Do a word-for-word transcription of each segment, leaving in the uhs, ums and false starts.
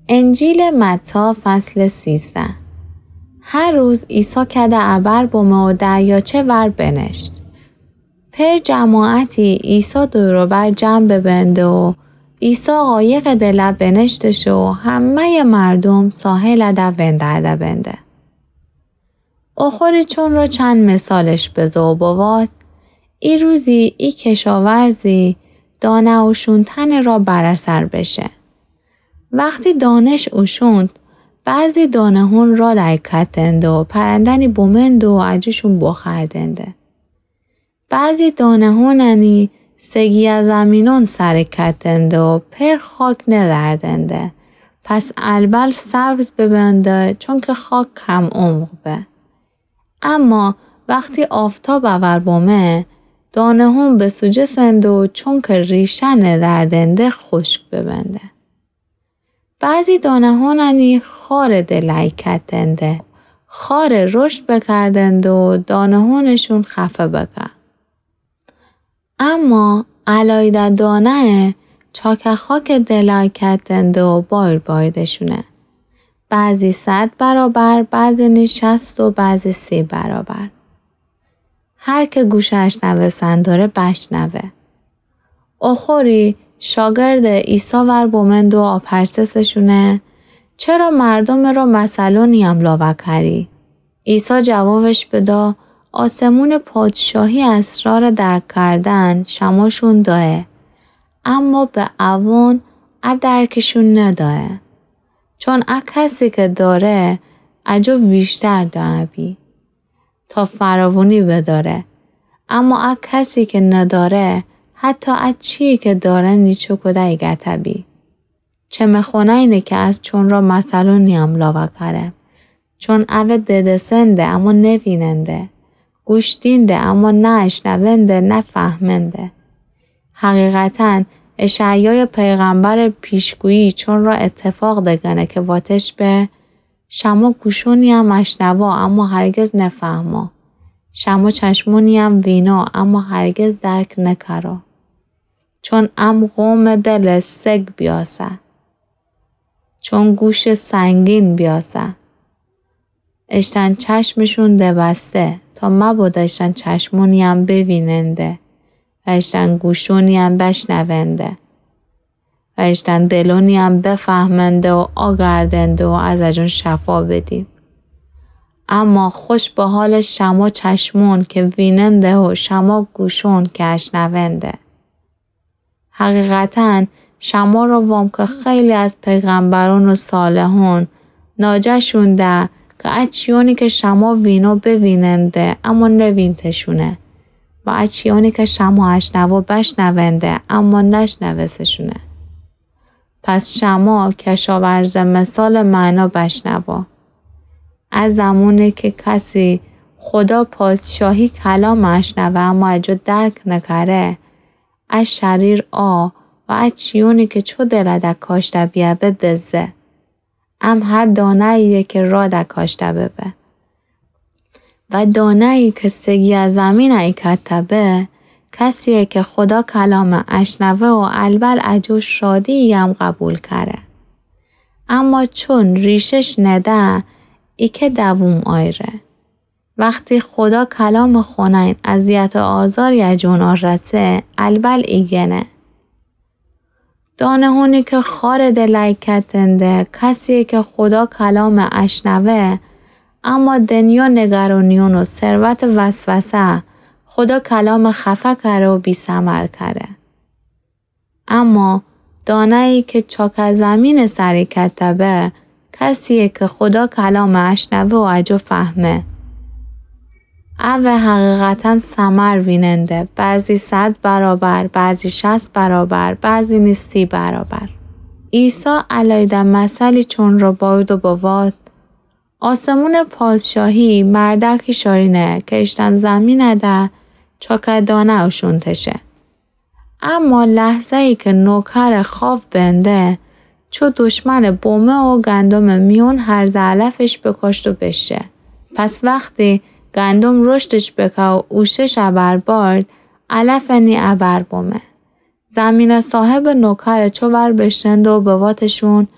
انجیلٚ متی، فصلٚ سیزده. هر روز عیسی کده ابر بمه و دریاچه ور بنشت. پئر جماعتی عیسی دور و بر جمع ببنده و عیسی قایقٚ دلا بنشته شه و همه‌یٚ مردوم ساحلٚ ده وندرده بنده. اوخوری چون را چند مثالش بزه و بوات: ای روزی ای کشاورزی دانه اوشونتنٚ را بر اثر بشه. وختی دانه‌ش اوشوند، بعضی دانه‌هون راه دکتنده و پرنده‌نی بمنده و اجوشون بوخوردنده. بعضی دانه‌هوننی سگیه زمینون سر کتنده و پئر خاک ندردنده، پس البل سبز ببنده، چونکه خاک کم عمق به. اما وختی آفتاب اور بمه، دانه‌هون بسوجسنده و چونکه ریشه ندردنده، خوشک ببنده. بعضی دانه‌هوننی خارٚ دلا ایکتنده، خار رشد بکردنده و دانه‌هونشون خفه بکه. اما علایده دانه چاکه خاکٚ دلا ایکتنده و بایر باریدشونه. بعضی صد برابر، بعضی نی شصت و بعضی سی برابر. هر که گوشٚ اشنوستن داره بشنوه. اوخوری شاگردٚ عیسی ور بمنده و آپرسسشونه: چرا مردومٚ را مثلونی‌یم لاوه کری؟ عیسی جوابش بدا: آسمونٚ پادشاهی اسرارٚ درک کردن شماشون دایه، اما به اوون ا درکشون ندایه. چون ا کسی که داره، اجو ویشتر دائه بی تا فراوونی بداره. اما ا کسی که نداره، حتی ا چیی که داره نیچه کوده ایگته‌بی. چه مخونه‌ینه که از چون را مثلونی‌یم لاوه کره. چون اوه ددسنده، اما نویننده. گوش دینده، اما نه اشنونده، نه فهمنده. حقیقتاً، اشعیایٚ پیغمبرٚ پیشگویی چون را اتفاق دگنه که واتش به: شما گوشونی‌یم اشنوا، اما هرگز نفهما. شما چشمونی‌یم وینا، اما هرگز درک نکرا. چون ام قومٚ دلٚ سگ بیاسه. چون گوشٚ سنگین بیاسه. اشتن چشمشون دبسته، تا مبادا اشتن چشمونی‌یم بویننده و اشتن گوشونی‌یم بشنونده و اشتن دلونی‌یم بفهمنده و آگردنده و از اجون شفا بدی. اما خوش به حالٚ شما چشمون که ویننده و شما گوشون که اشنونده. حقیقتاً، شما را وام که خیلی از پیغمبرون و صالحون ناجه‌شون ده که ا چیونی که شما وینو بویننده، اما نوینتشونه و ا چیونی که شما اشنوا بشنونده، اما نشنوستشونه. پس شما کشاورزٚ مثالٚ معنا بشنوا. ا زمونی که کسی خودا پادشاهی کلام اشنوه، اما اجو درک نکره، ا شریر آ و ا چیونی که چو دلٚ ده کاشته بیه به دزه. ام هه دانه‌یی‌یه که راه ده کاشته ببه. و دانه‌یی که سگیه زمین ایکته به، کسی‌یه که خودا کلام اشنوه و البل اجو شادی‌یم قبول کره. اما چون ریشش نده، ایکه دووم آیره. وختی خودا کلام خونه‌ین اذیت و آزاری اجون آرسه، البل ایگنه. دانه‌هونی که خارٚ دل ایکتنده، کسی‌یه که خودا کلام اشنوه، اما دنیا نگرانیون و ثروتٚ وسوسه، خودا کلام خفه کره و بی‌ثمر کره. اما دانه‌یی که چاکه زمینٚ سر ایکته به، کسی‌یه که خودا کلام اشنوه و اجو فهمه. اوه حقیقتاً ثمر ویننده، بعضی صد برابر، بعضی شصت برابر، بعضی نیز سی برابر. عیسی علایده مثلی چون را باید و بوات: آسمونٚ پادشاهی مردکی شارینه که اشتن زمینٚ ده چاکه دانه اوشونتشه. اما لحظه‌یی که نوکر خاو بنده، چو دشمنٚ بومه و گندمٚ میون هرزه علفش بکاشت و بشه. پس وختی گندم رشدش بکه و اوشش ابر بارد، علفٚ نی ابر بومه. زمینٚ صاحب نوکر چو ور بشنده و بواتشون: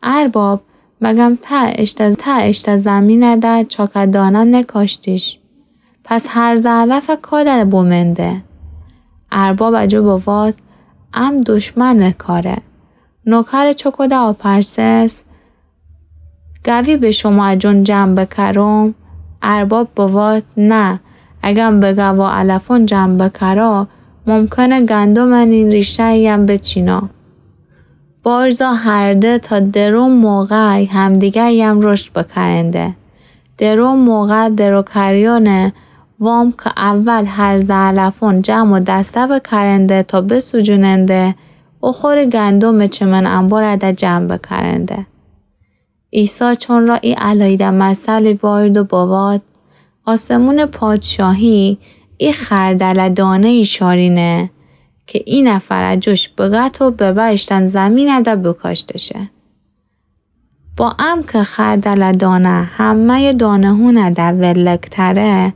ارباب، مگم ته اشته، ته اشته زمینه ده چاکه دانه نکاشتیش؟ پس هرزه علفه کاده بومنده؟ ارباب اجو بواد، ام دشمنٚ کاره. نوکرٚ چوکوده آپرسس، گوی به شومأ جون جمع بکرم؟ ارباب بواد، نه، اگم به گوا علفون جمع بکرا، ممکنه گندمٚ نین ریشه‌یم بچینا. بارزا هرده تا درو موقع همدیگریم رشد بکرنده. درو موقع دروکریانه وام که اول هرزه علفون جمع و دسته بکرنده تا بسوجوننده و خوری گندمٚ چمن انبارده جمع بکرنده. عیسی چون را ای الایده مثلی باید و بواد، آسمونٚ پادشاهی ای خردله دانه‌یی شارینه که ای نفر جوش بگت و ببه اشتن زمینده بکاشته شه. با امکه خردله دانه همه‌یٚ دانه‌هونده ولک‌تره،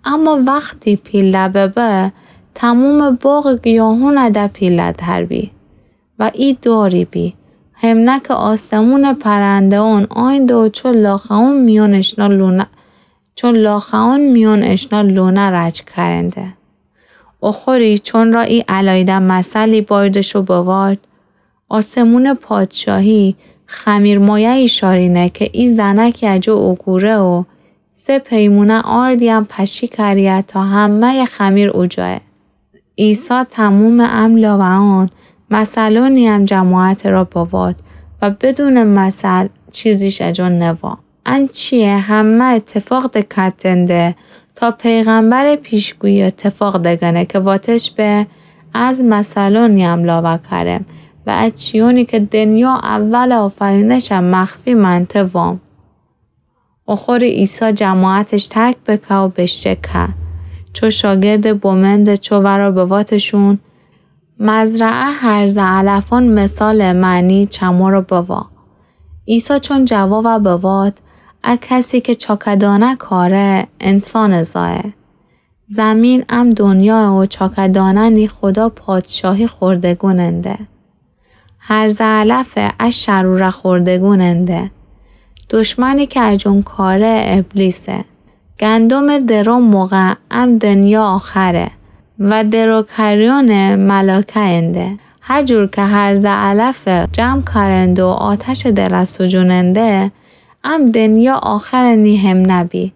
اما وختی پیله ببه، تمومٚ باغٚ گیاهونده پیله‌تر بی. و ای داری بی، همنه که آسمونٚ پرنده‌ون آینده و چو لاخه‌ون میون اشنا لونه، چو لاخه‌ون میون اشنا لونه رج کرنده. و خوری چون را ای الایده مثلی بایدش و بوارد، آسمونٚ پادشاهی خمیرمایه‌یی شارینه که ای زنکی اجو اوگوره و سه پیمونه آردیم پشی کریه تا همه‌یٚ خمیر اوجایه. عیسی تمومٚ ام لاوه‌ان مثلونیم جماعت را بواد و بدونٚ مثل چیزیش اجو نوا. ان چیه همه اتفاق دکتنده تا پیغمبرٚ پیشگویی اتفاق دگنه که واتش به از مثلونیم لاوه کرم و از چیونی که دنیا اول آفرینشم مخفی منته وام. و خوری عیسی جماعتش ترک بکه و بشکه. چو شاگردٚ بومندٚ چو ورا بواتشون، مزرعه هرزه علفون مثالٚ معنی چمورا بوا. عیسی چون جوابه بواد، ا کسی که چاکدانه کاره انسانٚ زایه. زمین ام دنیا و چاکدانه نی خدا پادشاهی خوردگوننده. هرزه علفه ا شروره خوردگوننده. دشمنی که اجون کاره ابلیسه. گندمٚ درو موقع ام دنیا آخره و دروکریونٚ ملاکه‌ینده. هجور که هرزه علفه جمع کرنده و آتشٚ دله سوجوننده، ام دنیا آخره نی هم نبی.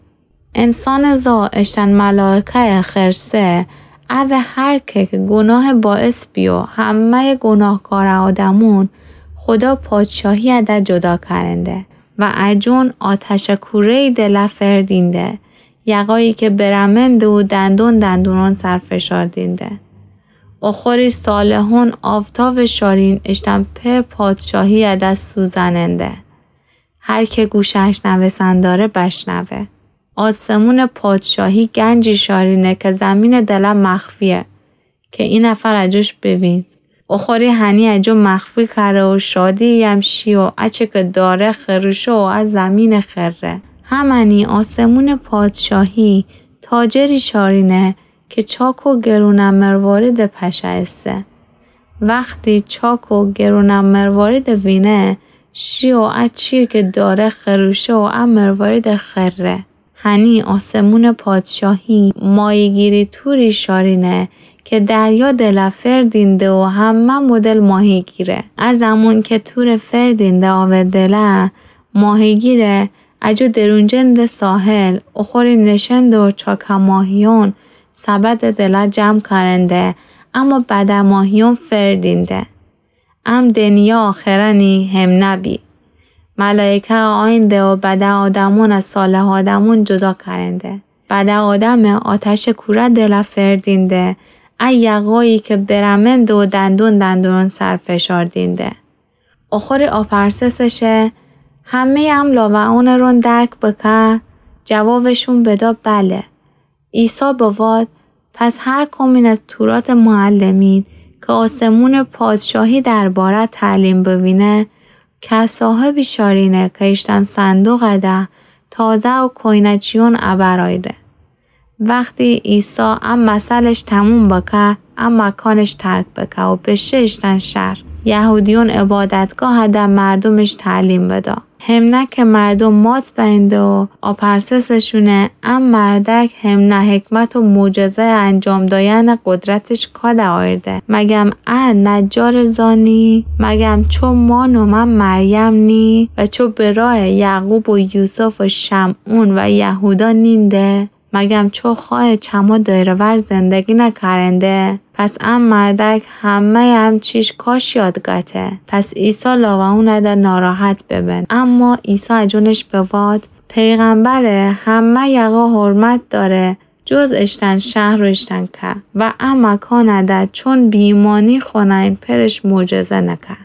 انسانٚ زا اشتن ملاکه‌یٚ خرسه، اوه هر که که گوناهٚ باعث بی و همه‌یٚ گوناهکارٚ آدمون خدا پادشاهی‌یه ده جدا کرنده و اجون آتشٚ کوره‌یی دله فردینده، یقایی که برمنده و دندون دندونون سر فشار دینده. و خوری صالحون آفتابٚ شارین اشتن په پادشاهی‌یه ده سوزننده. هر که گوشٚ اشنوستن داره بشنوه. آسمونٚ پادشاهی گنجی شارینه که زمینٚ دله مخفیه که ای نفر اجوش بوید. و خوری هنی اجو مخفی کره و شادی‌یم شی و اچه که داره خروشه و ا زمینٚ خره. همنی آسمونٚ پادشاهی تاجری شارینه که چاک و گرونٚ مرواریدٚ پشه ایسه. وختی چاک و گرونٚ مرواریدٚ وینه، شی و ا چیه که داره خروشه و ا مرواریدٚ خره. هنی آسمونٚ پادشاهی ماهیگیری توری شارینه که دریا دله فردینده و همه مدل ماهی گیره. ا زمون که توره فردینده آوه دله، ماهیگیره اجو درونجنده ساحل و خوری نشنده و چاکه ماهیون سبدٚ دله جمع کرنده، اما بده ماهیون فردینده. ام دنیا آخره نی هم نبی. ملائکه آینده و بده آدمون از صالح آدمون جدا کرنده. بده آدمه آتشٚ کوره دله فردینده، ا یقایی که برمنده و دندون دندون سر فشار دینده. و خوری آپرسسشه، همه‌یٚ ام لاوه‌انٚ رون درک بکه؟ جوابشون بدا، بله. عیسی بواد، پس هر کمین از توراتٚ معلمین که آسمونٚ پادشاهی درباره تعلیم بوینه، که صاحبی شارینه که ایشتن صندوقه ده تازه و کوینه‌چیون ابرایده. وختی عیسی ا مثلش تموم بکه، ا مکانش ترک بکه و بشه ایشتن شهر. یهودیون عبادتگاهده مردومش تعلیم بدا. همنه که مردوم مات بینده و آپرسسشونه، ا مردک همنه حکمت و معجزه انجام دایأن قدرتش کده آیرده؟ مگم ا نجار زانی؟ مگم چو مأن و مأن مریم نی؟ و چو برأ یعقوب و یوسف و شمعون و یهودا نینده؟ مگم چو خوأ چمو دئر و ور زندگی نکرنده؟ پس ا مردک همه‌یٚ ا چیش کاش یاد گته. پس عیسی لاوه اونده ناراحت ببن. اما عیسی جونش بوأرد: پیغمبر همه یقا حرمت دأره، جز اشتن شهر و اشتن که. و ا مکانده چون بی‌ایمأنی خونه‌یٚ پئرش معجزه نکه.